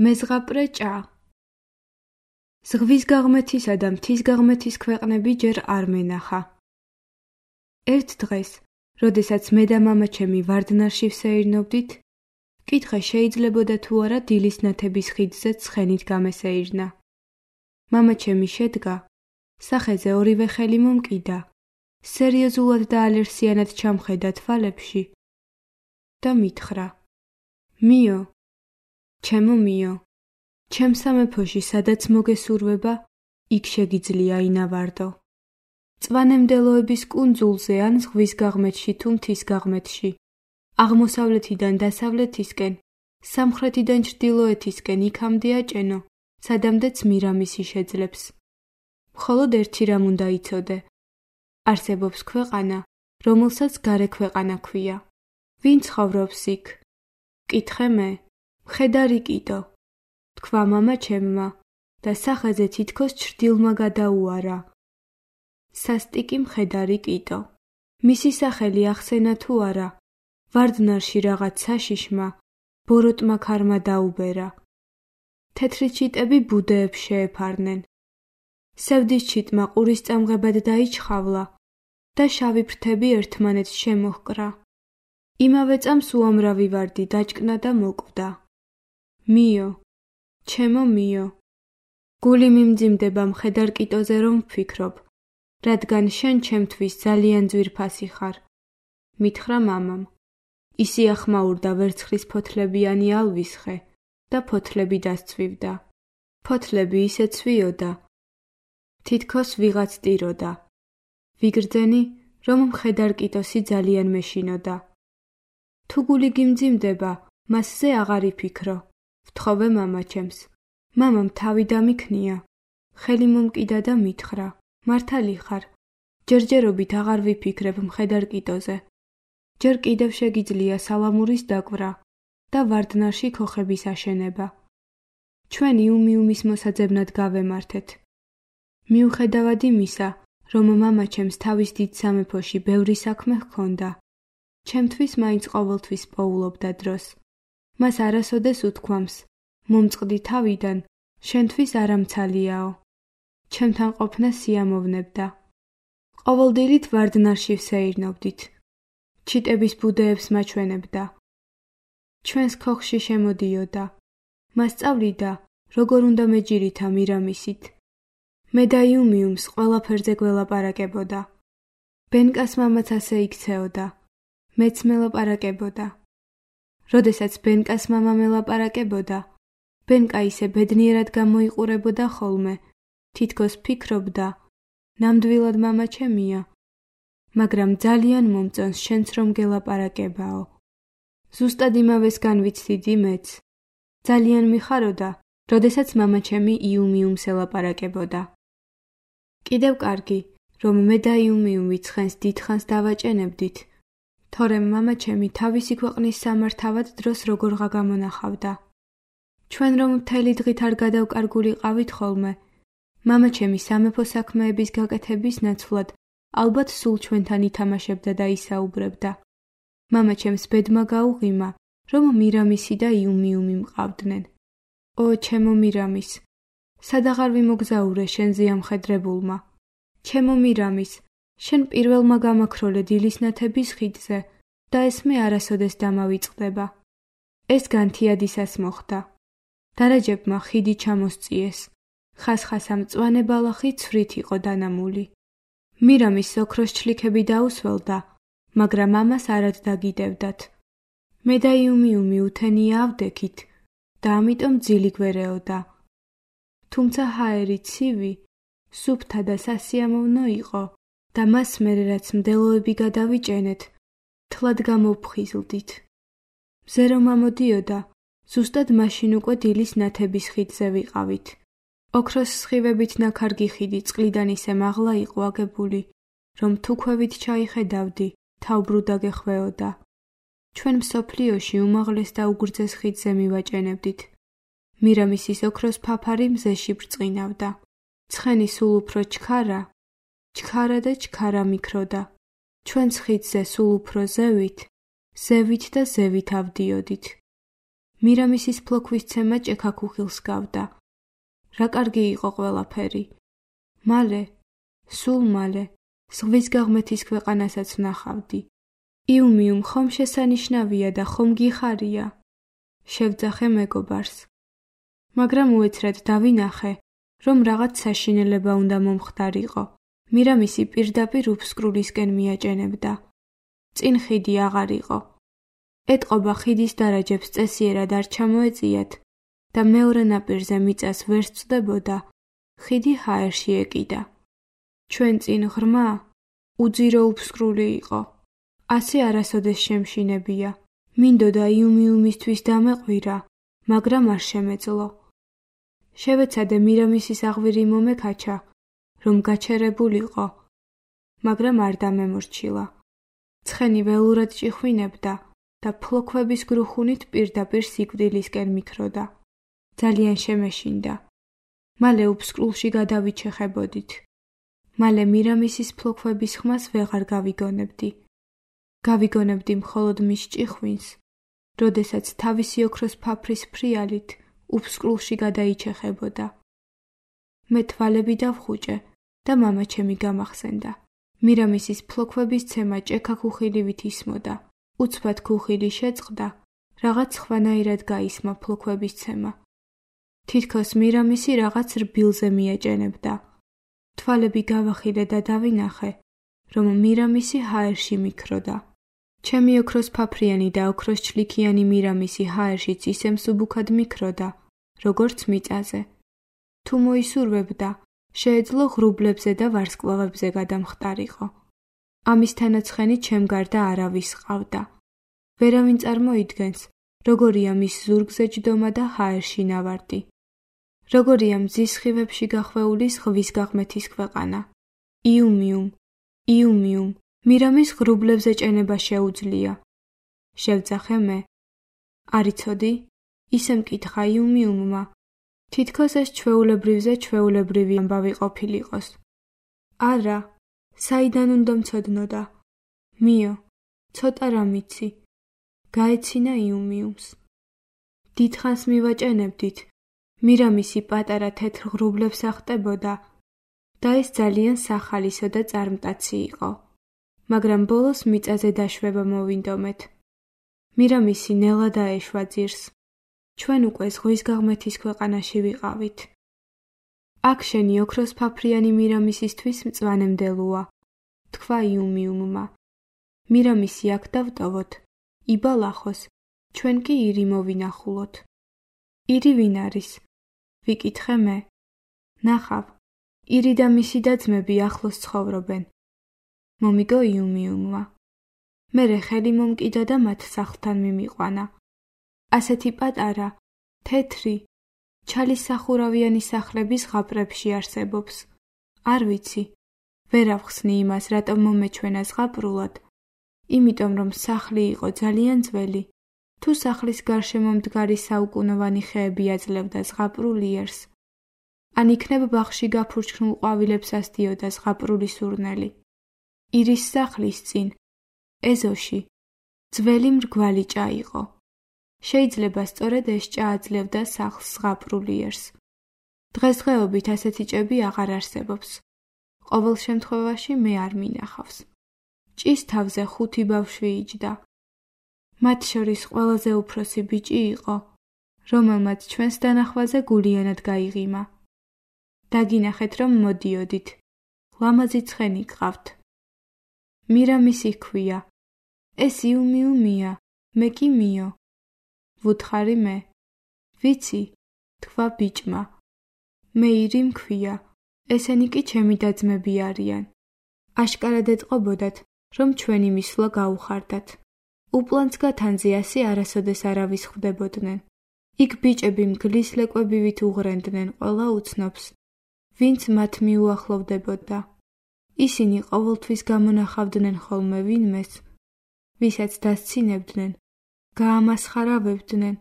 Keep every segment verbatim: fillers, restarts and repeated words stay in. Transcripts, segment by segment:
მეზღაპრე ჭა. ზღვის გაღმეთისა და მთის გაღმეთის ქვეყნები ჯერ არ მენახა. ერთ დღეს, როდესაც მე და მამაჩემი ვარდნარში ვსეირნობდით, კითხე შეიძლებოდა თუ არა დილის ნათების ხიდზე ცხენით გამესეირნა. მამაჩემი შედგა, სახეზე ორივე ხელი მომკიდა, სერიოზულად და ალერსიანად ჩამხედა თვალებში და მითხრა: მიო, ჩემო მიო, ჩემ სამეფოში სადაც მოგესურვება, იქ შეგიძლია ინავარდო. წვანემდელოების კუნძულზე ან ზღვის გაღმეთში თუ მთის გაღმეთში, აღმოსავლეთიდან დასავლეთისკენ, სამხრეთიდან ჩრდილოეთისკენ იქამდე აჭენო, სადამდეც მირამისი შეძლებს. მხოლოდ ერთი რამ უნდა იცოდე. არსებობს ქვეყანა, რომელსაც გარე ქვეყანა ქვია. ვინ ცხოვრობს იქ? კითხე მე, მხედარი კიდო. თქვა მამაჩემმა და სახეზე თითქოს ჩრდილმა გადაუარა. სასტიკი მხედარი კიდო. მისი სახელი ახსენა თუ არა, ვარდნარში რაღაც საშიშმა, ბოროტმა ქარმა დაუბერა. თეთრი ჩიტები ბუდეებს შეეფარნენ. სევდის ჩიტმა ყურის წამღებად დაიჩხავლა და შავი ფრთები ერთმანეთს შემოჰკრა. იმავე წამს უამრავი ვარდი დაჭკნა და მოკვდა. მიო, ჩემო მიო, გული მიმძიმდება მხედარ კიტოზე რომ ვფიქრობ, რადგან შენ ჩემთვის ძალიან ძვირფასი ხარ. მითხრა მამამ. ისი ახმაურდა ვერცხლის ფოთლებიანი ალვის ხე და ფოთლები დასცვივდა. ფოთლები ისე ცვიოდა, თითქოს ვიღაც ტიროდა. ვიგრძენი, რომ მხედარ კიტოსი ძალიან მეშინოდა. თუ გული გიმძიმდება, მასზე აღარ იფიქრო, ვთხოვე მამაჩემს. მამამ თავი დამიქნია, ხელი მომკიდა და მითხრა: მართალი ხარ, ჯერჯერობით აღარ ვიფიქრებ მხედარ კიტოზე. ჯერ კიდევ შეგიძლია სალამურის დაკვრა და ვარდნარში ქოხების აშენება. ჩვენ იუმიუმის მოსაძებნად გავემართეთ. მიუხედავად იმისა, რომ მამაჩემს თავის დიდ სამეფოში ბევრი საქმე ჰქონდა, ჩემთვის მაინც ყოველთვის პოულობდა დროს. მას არასოდეს უთქვამს: მომწყდი თავიდან, შენთვის არამცალიაო. ჩემთან ყოფნა სიამოვნებდა. ყოველდილით ვარდნარში ვსეირნობდით. ჩიტების ბუდეებს მაჩვენებდა. ჩვენს ქოხში შემოდიოდა. მასწავლიდა, როგორ უნდა მეჯერითა მირამისით. მე და იუმიუმს ყველაფერზე გველაპარაკებოდა. ბენკას მამაც ასე იქცეოდა. მეც მელაპარაკებოდა. როდესაც ბენკას მამა მელაპარაკებოდა, ბენკა ისე ბედნიერად გამოიყურებოდა ხოლმე, თითქოს ფიქრობდა, ნამდვილად მამაჩემია, მაგრამ ძალიან მომწონს შენც რომ გელაპარაკებაო. ზუსტად იმავეს განვიცდიდი მეც. ძალიან მიხაროდა, როდესაც მამაჩემი იუმიუმს ელაპარაკებოდა. კიდევ კარგი, რომ მე და იუმიუმი ცხენს დიდხანს დავაჭენებდით, თორემ მამაჩემი თავისი ქვეყნის სამართავად დროს როგორღა გამონახავდა. ჩვენ რომ მთელი დღით არ გადავკარგულიყავით ხოლმე, მამაჩემი სამეფო საქმეების გაკეთების ნაცვლად ალბათ სულ ჩვენთან ითამაშებდა და ისაუბრებდა. მამაჩემს ბედმა გაუღიმა, რომ მირამისი და იუმიუმი მყავდნენ. ო, ჩემო მირამის, სადაღარ ვიმოგზაურე შენ ზიამხედრებულმა. ჩემო მირამის, შენ პირველმა გამაქროლე დილის ნათების ხიდზე და ეს მე არასოდეს დამავიწყდება. ეს განთიადისას მოხდა. დარაჯებმა ხიდი ჩამოსწიეს. ხასხასა მწვანე ბალახი ცვრით იყო დანამული. მირამის ოქროს ჩლიქები დაუსველდა, მაგრამ ამას არად დაგიდევდათ. მე და იუმიუმი უთენია ავდექით და ამიტომ ძილი გვერეოდა. თუმცა ჰაერი ცივი, სუფთა და სასიამოვნო იყო და მას მერე რაც მდელოები გადავიჭენეთ, თლად გამოვფხიზლდით. მზე რომ ამოდიოდა, ზუსტად მაშინ უკვე დილის ნათების ხიდზე ვიყავით. ოქროს სხივებით ნაქარგი ხიდი წყლიდან ისე მაღლა იყო აგებული, რომ თუ ქვევით ჩაიხედავდი, თავბრუ დაგეხვეოდა. ჩვენ მსოფლიოში უმაღლეს და უგრძეს ხიდზე მივაჭენებდით. მირამისის ოქროს ფაფარი მზეში ბრწყინავდა. ცხენი სულ უფრო ჩქარა, ჩქარა და ჩქარა მიქროდა. ჩვენს ხიდზე სულ უფრო ზევით, ზევით და ზევით ავდიოდით. მირამისის ფლოქვის ცემა ჭექაქუხილს გავდა. რა კარგი იყო ყველაფერი. მალე, სულ მალე, ზღვის გაღმეთის ქვეყანასაც ვნახავდი. იუმიუმ ხომ შესანიშნავია და ხომ გიხარია? შევძახე მეგობარს. მაგრამ უეცრად დავინახე, რომ რაღაც საშინელება უნდა მომხდარიყო. მირამისი პირდაპირ უფსკრულისკენ მიაჭენებდა. წინ ხიდი აღარ იყო. ეტყობა ხიდის დარაჯებს წესიერად არ ჩამოეწიათ და მეორე ნაპირზე მიწას ვერ სწდებოდა, ხიდი ჰაერში ეკიდა. ჩვენ წინ ღრმა, უძირო უფსკრული იყო. ასე არასოდეს შემშინებია. მინდოდა იუმიუმისთვის დამეყვირა, მაგრამ არ შემეძლო. შევეცადე მირამისის აღვირი მომექაჩა, რომ გაჩერებულიყო, მაგრამ არ დამემორჩილა. ცხენი ველურად ჭიხვინებდა და ფლოქვების გრუხუნით პირდაპირ სიკვდილისკენ მიქროდა. ძალიან შემეშინდა. მალე უფსკრულში გადავიჩეხებოდით. მალე მირამისის ფლოქვების ხმას ვეღარ გავიგონებდი. გავიგონებდი მხოლოდ მის ჭიხვინს, როდესაც თავისი ოქროს ფაფრის ფრიალით უფსკრულში გადაიჩეხებოდა. მე თვალები დავხუჭე და მამაჩემი გამახსენდა. მირამისის ფლოქვების ცემა ჭექაქუხილივით ისმოდა. უცბად ქუხილი შეწყდა, რაღაც ხვანაირად გაისმა ფლოქვების ცემა. თითქოს მირამისი რაღაც რბილზე მიეჭენებდა. თვალები გავახილე და დავინახე, რომ მირამისი ჰაერში მიქროდა. ჩემი ოქროს ფაფრიანი და ოქროს ჩლიქიანი მირამისი ჰაერშიც ისე მსუბუქად მიქროდა, როგორც მიწაზე. თუ მოისურვებდა, შეეძლო ღრუბლებზე და ვარსკვლავებზე გადამხტარიყო. ამის თანაცხენი ჩემ გარდა არავის ყავდა. ვერავინ წარმოიდგენს, როგორია მის ზურგზე ჯდომა და ჰაერში ნავარდი. როგორია მზის სხივებში გახვეული ზღვის გაღმეთის ქვეყანა. იუმიუმ, იუმიუმ, მირამის ღრუბლებზე ჭენება შეუძლია. შევძახე მე. არ იცოდი? ისე მკითხა იუმიუმმა. თითქოს ეს ჩვეულებრივზე ჩვეულებრივი ამბავი ყოფილიყოს. არა, საიდან უნდა მცოდნოდა? მიო, ცოტა რამ იცი. გაეცინა იუმიუმს. დიდხანს მივაჭენებდით. მირამისი პატარა თეთრ ღრუბლებს ახტებოდა და ეს ძალიან სახალისო და წარმტაცი იყო. მაგრამ ბოლოს მიწაზე დაშვება მოვინდომეთ. მირამისი ნელა დაეშვა ძირს. ჩვენ უკვე ზღვის გაღმეთის ქვეყანაში ვიყავით. აქ შენი ოქროს ფაფრიანი მირამისისთვის მწვანემდელოა, თქვა იუმიუმმა. მირამისი აქ დავტოვოთ, იბალახოს, ჩვენ კი ირი მოვინახულოთ. ირი ვინ არის? ვიკითხე მე. ნახავ, ირი და მისი და-ძმები ახლოს ცხოვრობენ. მომიგო იუმიუმმა. მერე ხელი მომკიდა და მათ სახლთან მიმიყვანა. ასეთი პატარა, თეთრი, ჩალისახურავიანი სახლები ზღაპრებში არსებობს. არ ვიცი, ვერ ავხსნი იმას, რატომ მომეჩვენა ზღაპრულად, იმიტომ რომ სახლი იყო ძალიან ძველი. თუ სახლის გარშემო მდგარი საუკუნოვანი ხეები აძლევდა ზღაპრულ იერს, ან იქნებ ბაღში გაფურჩქნულ ყვავილებს ასდიოდა ზღაპრული სურნელი. ირის სახლის წინ, ეზოში, ძველი მრგვალი ჭა იყო. შეიძლება სწორედ ეს ჭა აძლევდა სახლს ზღაპრულ იერს. დღესდღეობით ასეთი ჭები აღარ არსებობს. ყოველ შემთხვევაში მე არ მინახავს. ჭის თავზე ხუთი ბავშვი იჯდა. მათ შორის ყველაზე უფროსი ბიჭი იყო, რომელმაც ჩვენს დანახვაზე გულიანად გაიღიმა. დაგინახეთ, რომ მოდიოდით. ლამაზი ცხენი გყავთ. მირამისი ჰქვია. ეს იუმიუმია, მე კი მიო. ვუთხარი მე. ვიცი, თქვა ბიჭმა. მე ირი მქვია. ესენი კი ჩემი და-ძმები არიან. აშკარად ეტყობოდათ, რომ ჩვენი მისვლა გაუხარდათ. უპლანს გათანზე ასე არასოდეს არავის ხვდებოდნენ. იქ ბიჭები მგლის ლეკვებივით უღრენდნენ ყველა უცნობს, ვინც მათ მიუახლოვდებოდა. ისინი ყოველთვის გამონახავდნენ ხოლმე ვინმეს, ვისაც დასცინებდნენ, გაამასხარავებდნენ,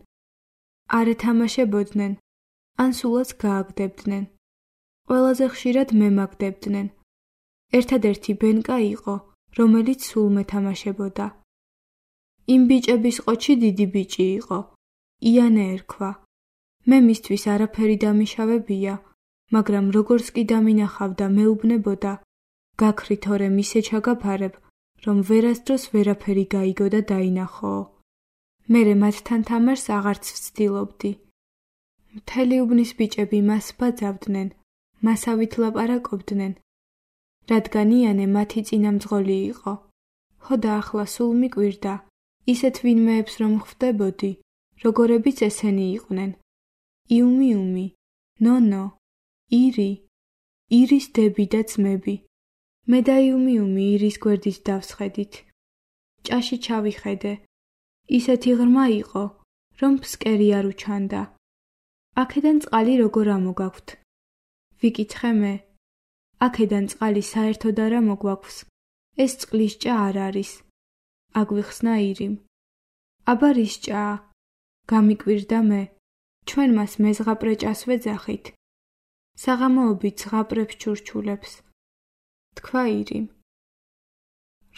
არ ეთამაშებოდნენ, ან სულაც გააგდებდნენ. ყველაზე ხშირად მემაგდებდნენ. ერთადერთი ბენკა იყო, რომელიც სულ მეთამაშებოდა. იმ ბიჭების ყოჩი დიდი ბიჭი იყო, იანე ერქვა. მე მისთვის არაფერი დამიშავებია, მაგრამ როგორც კი დამინახავდა მეუბნებოდა, გაქრით ორე მისე ჩაგაფარებ, რომ ვერასდროს ვერაფერი გაიგო და დაინახოო. მერე მათთან თამარს აღარც ვცდილობდი. მთელი უბნის ბიჭები მას ბაძავდნენ, მასავით ლაპარაკობდნენ, რადგან იანე მათი წინამძღოლი იყო. ხო და ახლა სულ მიკვირდა, ისეთ ვინმეებს რომ ხვდებოდი, როგორებიც ესენი იყვნენ. იუმიუმი, ნონო, ირი, ირის დები და ძმები. მე და იუმიუმი ირის გვერდით დავსხედით. ჭაში ჩავიხედე. ისეთი ღრმა იყო, რომ ფსკერი არ უჩანდა. აქედან წყალი როგორ ამოგაქვთ? ვიკითხე მე. აქედან წყალი საერთოდ არ ამოგვაქვს. ეს წყლის ჭა არ არის. აგვიხსნა ირიმ. აბა რის ჭაა? გამიკვირდა მე. ჩვენ მას მეზღაპრე ჭას ვეძახით. საღამოობით ზღაპრებს ჩურჩულებს. თქვა ირიმ.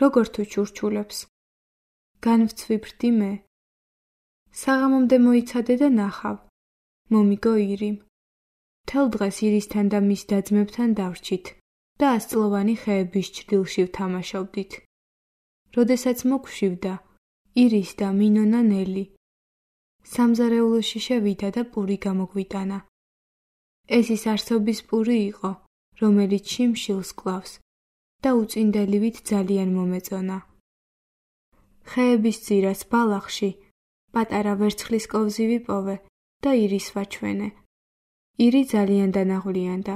როგორ თუ ჩურჩულებს? განვცვიფრდი მე. საღამომდე მოიცადე და ნახავ. მომიგო ირიმ. მთელ დღეს ირისთან და მის და-ძმებთან დავრჩით და ასწლოვანი ხეების ჩრდილში ვთამაშობდით. როდესაც მოგვშივდა, ირის და მინონა ნელი. სამზარეულოში შევიდა და პური გამოგვიტანა. ეს ის არსობის პური იყო, რომელიც შიმშილს კლავს და უწინდელივით ძალიან მომეწონა. ხეების ძირას ბალახში პატარა ვერცხლის კოვზი ვიპოვე და ირის ვაჩვენე. ირი ძალიან დანაღვლიანდა.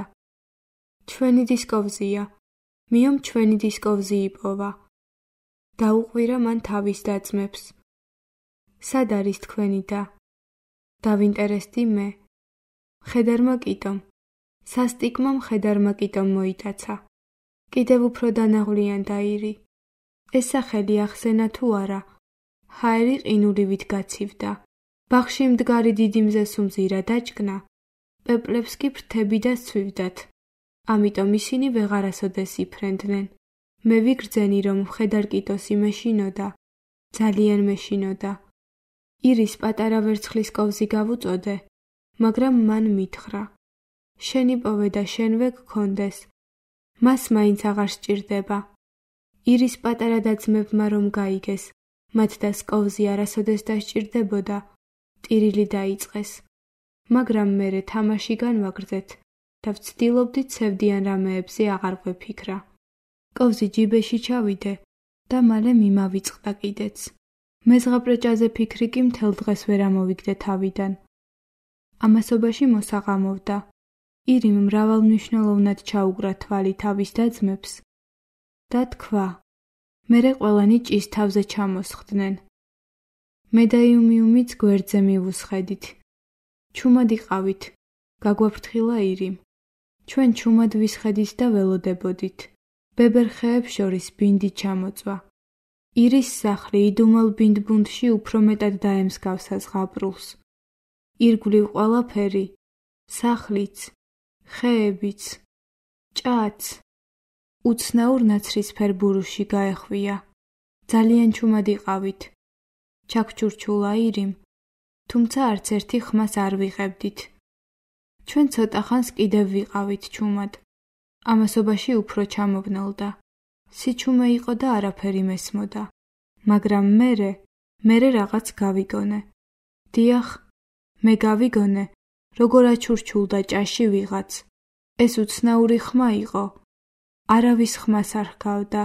ჩვენი დისკოვზია, მიომ ჩვენი დისკოვზი იპოვა. დაუყვირა მან თავის და-ძმებს. სად არის თქვენი და? დავინტერესდი მე. მხედარმა კიტომ. სასტიკმა მხედარმა კიტომ მოიტაცა. კიდევ უფრო დანაღვლიანდა ირი. ეს სახელი ახსენა თუ არა, ჰაერი ყინულივით გაცივდა. ბაღში მდგარი დიდი მზესუმზირა დაჭკნა, პეპლებს კი ფრთები და სცვივდათ. ამიტომ ისინი ვეღარასოდეს იფრენდნენ. მე ვიგრძენი, რომ მხედარ კიტოსი მეშინოდა, ძალიან მეშინოდა. ირის პატარა ვერცხლის კოვზი გავუწოდე, მაგრამ მან მითხრა. შენ იპოვე და შენვე გქონდეს. მას მაინც აღარ სჭირდება. ირის პატარა და-ძმებმა რომ გაიგეს, მათ და სკოვზი არასოდეს დასჭირდებოდა, ტირილი დაიწყეს. მაგრამ მერე თამაში განვაგრძეთ და ვცდილობდით ცევდიან რამეებზე აღარ გვეფიქრა. კოვზი ჯიბეში ჩავიდე და მალე მიმავიწყდა კიდეც. მეზღაპრე ჭაზე ფიქრი კი მთელ დღეს ვერ ამოვიგდე თავიდან. ამასობაში მოსაღამოვდა. ირიმ მრავალმნიშვნელოვნად ჩაუგრა თვალი თავის და-ძმებს და თქვა, მერე ყველანი ჭის თავზე ჩამოსხდნენ. მე და იუმიუმიც გვერდზე მივუსხედით. ჩუმად იყავით, გაგვაფრთხილა ირიმ. ჩვენ ჩუმად ვისხედით და ველოდებოდით. ბებერ ხეებს შორის ბინდი ჩამოწვა. ირის სახლი იდუმალ ბინდბუნდში უფრო მეტად დაემსგავსა ზღაპრულს. ირგვლივ ყველაფერი, სახლიც, ხეებიც, ჭაც, უცნაურ ნაცრისფერ ბურუში გაეხვია. ძალიან ჩუმად იყავით. ჩაგჩურჩულა ირიმ, თუმცა არც ერთი ხმას არ ვიღებდით. ჩვენ ცოტა ხანს კიდევ ვიყავით ჩუმად. ამასობაში უფრო ჩამოვნელდა. სიჩუმე იყო და არაფერი მესმოდა. მაგრამ მერე, მერე რაღაც გავიგონე. დიახ, მე გავიგონე, როგორ აჩურჩულდა ჭაში ვიღაც. ეს უცნაური ხმა იყო. არავის ხმას არ ჰგავდა.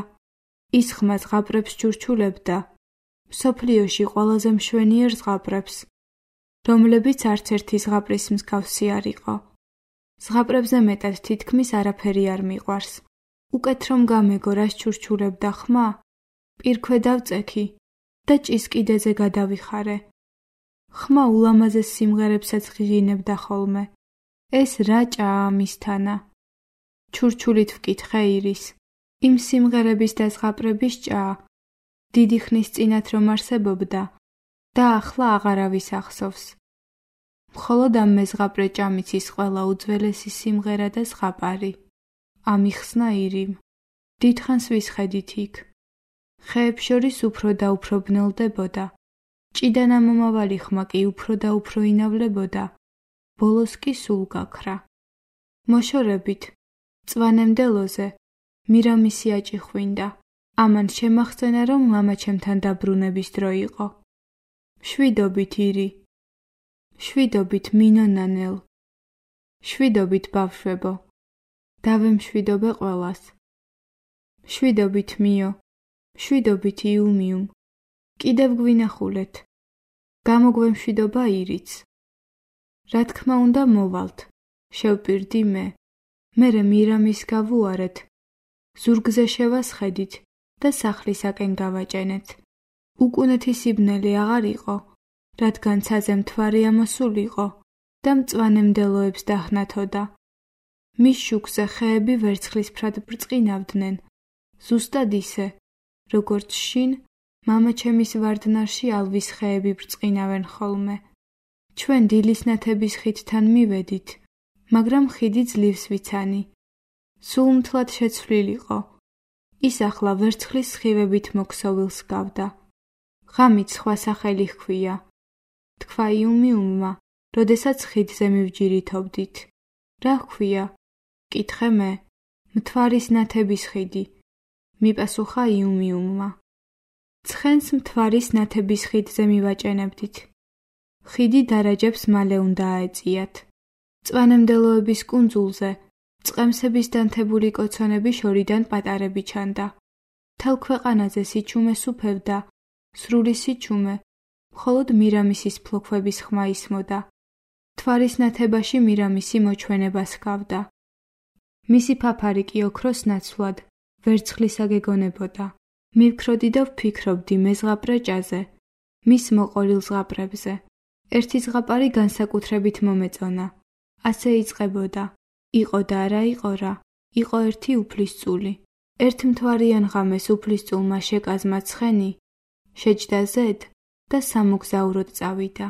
ის ხმა ზღაპრებს ჩურჩულებდა. მსოფლიოში ყველაზე მშვენიერ ზღაპრებს, რომლებიც არც ერთი ზღაპრის მსგავსი არ იყო. ზღაპრებზე მეტად თითქმის არაფერი არ მიყვარს. უკეთ რომ გამეგო რას ჩურჩულებდა ხმა, პირქვე დავწექი და ჭის კიდეზე გადავიხარე. ხმა ულამაზეს სიმღერებსაც ღირინებდა ხოლმე. ეს რა ჭაა ამისთანა? ჩურჩულით ვკითხე ირის. იმ სიმღერების და ზღაპრების ჭაა. დიდი ხნის წინათ რომ არსებობდა და ახლა აღარავის ახსოვს. მხოლოდ ამ მეზღაპრე ჭამიცის ყველა უძველესი სიმღერა და ზღაპარი. ამიხსნა ირიმ. დიდხანს ვისხედით იქ. ხეებს შორის უფრო და უფრო ბნელდებოდა ჭიდანა მომავალი ხმა კი უფრო და უფრო ინავლებოდა, ბოლოს კი სულ გაქრა. მოშორებით, მწვანემდელოზე, მირამისი აჭიხვინდა. ამან შემახსენა, რომ მამაჩემთან დაბრუნების დრო იყო. შვიდობით ირი, შვიდობით მინონანელ, შვიდობით ბავშვებო, დავემშვიდობე ყველას. შვიდობით მიო, შვიდობით იუმიუმ, კიდევ გვინახულეთ, გამოგვემშვიდობა ირიც. რა თქმა უნდა მოვალთ, შევპირდი მე, მერე მირამის გავუარეთ, ზურგზე შევასხედით და სახლისაკენ გავაჭენეთ. უკუნეთი სიბნელი აღარ იყო, რადგან ცაზე მთვარე ამოსულიყო და მწვანემდელოებს დაჰნათოდა. მის შუქზე ხეები ვერცხლისფრად ბრწყინავდნენ, ზუსტად ისე, როგორც შინ მამაჩემის ვარდნარში ალვის ხეები ბრწყინავენ ხოლმე. ჩვენ დილის ნათების ხიდთან მივედით, მაგრამ ხიდი ძლივს ვიცანი. სულ მთლად შეცვლილიყო. ის ახლა ვერცხლის სხივებით მოქსოვილს გავდა. ღამით სხვა სახელი ჰქვია. თქვა იუმიუმმა, როდესაც ხიდზე მივჯირითობდით. რა ჰქვია? კითხე მე. მთვარის ნათების ხიდი. მიპასუხა იუმიუმმა. ცხენს მთვარის ნათების ხიდზე მივაჭენებდით. ხიდი დარაჯებს მალე უნდა აეწიათ. მწვანემდელოების კუნძულზე წყემსების დანთებული კოცონები შორიდან პატარები ჩანდა. მთელ ქვეყანაზე სიჩუმე სუფევდა, სრული სიჩუმე, მხოლოდ მირამისის ფლოქვების ხმა ისმოდა. მთვარის ნათებაში მირამისი მოჩვენებას ჰგავდა. მისი ფაფარი კი ოქროს ნაცვლად ვერცხლისა გეგონებოდა. მივქროდი და ვფიქრობდი მე ზღაპრე ჭაზე, მის მოყოლილ ზღაპრებზე. ერთი ზღაპარი განსაკუთრებით მომეწონა. ასე იწყებოდა. იყო და არა იყო რა, იყო ერთი უფლისწული. ერთ მთვარიან ღამეს უფლისწულმა შეკაზმა ცხენი, შეჯდა ზედ და სამოგზაუროდ წავიდა.